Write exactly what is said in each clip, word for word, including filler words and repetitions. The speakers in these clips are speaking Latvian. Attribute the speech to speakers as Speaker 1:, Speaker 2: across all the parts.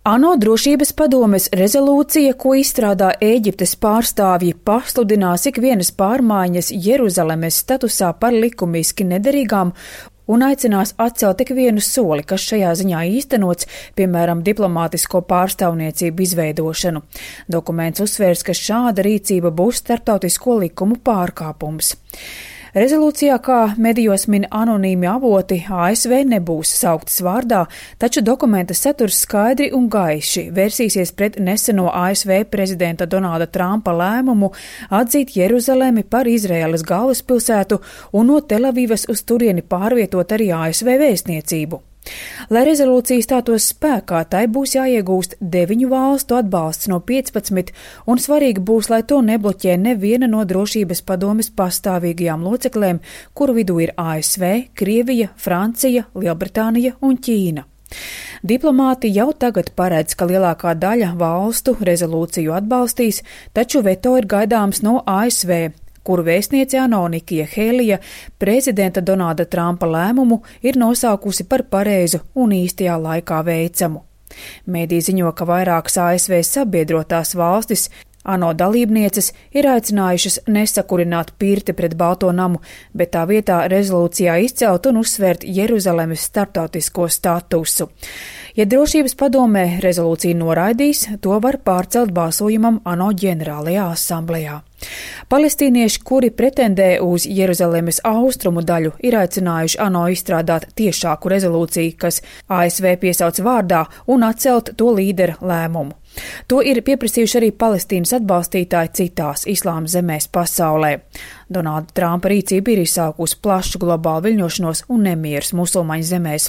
Speaker 1: ANO drošības padomes rezolūcija, ko izstrādā Ēģiptes pārstāvji, pasludinās ikvienas pārmaiņas Jeruzalemes statusā par likumiski nederīgām un aicinās atcelt ikvienu soli, kas šajā ziņā īstenots, piemēram, diplomātisko pārstāvniecību izveidošanu. Dokuments uzsvērs, ka šāda rīcība būs starptautisko likumu pārkāpums. Rezolūcijā, kā medijos min anonīmi avoti, A S V nebūs sauktas vārdā, taču dokumenta saturs skaidri un gaiši vērsīsies pret neseno A S V prezidenta Donalda Trumpa lēmumu atzīt Jeruzalemi par Izraēlas galvaspilsētu un no Telavivas uz turieni pārvietot arī A S V vēstniecību. Lai rezolūcija stātos spēkā, tai būs jāiegūst deviņu valstu atbalsts no piecpadsmit, un svarīgi būs, lai to nebloķē neviena no drošības padomes pastāvīgajām loceklēm, kuru vidū ir A S V, Krievija, Francija, Lielbritānija un Ķīna. Diplomāti jau tagad paredz, ka lielākā daļa valstu rezolūciju atbalstīs, taču veto ir gaidāms no A S V, kuru vēstniece ANO Nikija Helija prezidenta Donalda Trumpa lēmumu ir nosaukusi par pareizu un īstajā laikā veicamu. Mēdī ziņo, ka vairākas A S V sabiedrotās valstis ANO dalībnieces ir aicinājušas nesakurināt pirti pret Balto namu, bet tā vietā rezolūcijā izcelt un uzsvērt Jeruzalemes starptautisko statusu. Ja drošības padomē rezolūciju noraidīs, to var pārcelt balsojumam ANO ģenerālajā asamblejā. Palestīnieši, kuri pretendē uz Jeruzalemes austrumu daļu, ir aicinājuši ANO izstrādāt tiešāku rezolūciju, kas A S V piesauc vārdā, un atcelt to līdera lēmumu. To ir pieprasījuši arī Palestīnas atbalstītāji citās islāma zemēs pasaulē. Donalda Trumpa rīcība ir izsaukusi plašu globālu viļņošanos un nemierus musulmaņu zemēs.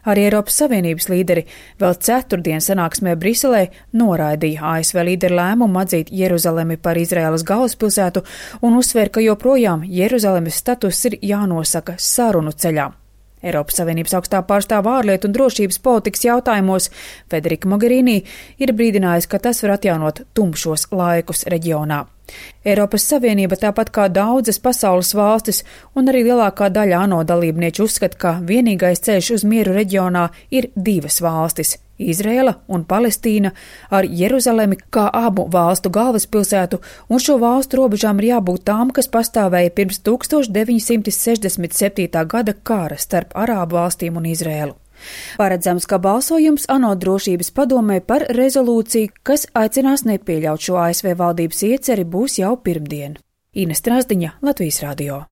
Speaker 1: Arī Eiropas Savienības līderi vēl ceturtdien sanāksmē Briselē noraidīja A S V līderu lēmumu atzīt Jeruzalemi par Izraēlas galvaspilsētu un uzsver, ka joprojām Jeruzalemes status ir jānosaka sarunu ceļā. Eiropas Savienības augstā pārstāvja ārlietu un drošības politikas jautājumos Federika Mogherini ir brīdinājusi, ka tas var atjaunot tumšos laikus reģionā. Eiropas Savienība, tāpat kā daudzas pasaules valstis un arī lielākā daļa ANO dalībnieku uzskata, ka vienīgais ceļš uz mieru reģionā ir divas valstis – Izraela un Palestīna ar Jeruzalemi kā abu valstu galvaspilsētu, un šo valstu robežām ir jābūt tām, kas pastāvēja pirms tūkstoš deviņi simti sešdesmit septītā gada kara starp Arābu valstīm un Izraēlu. Paredzams, ka balsojums ANO drošības padomē par rezolūciju, kas aicinās nepieļaut šo A S V valdības ieceri, būs jau pirmdien. Ines Strasdiņa, Latvijas radio.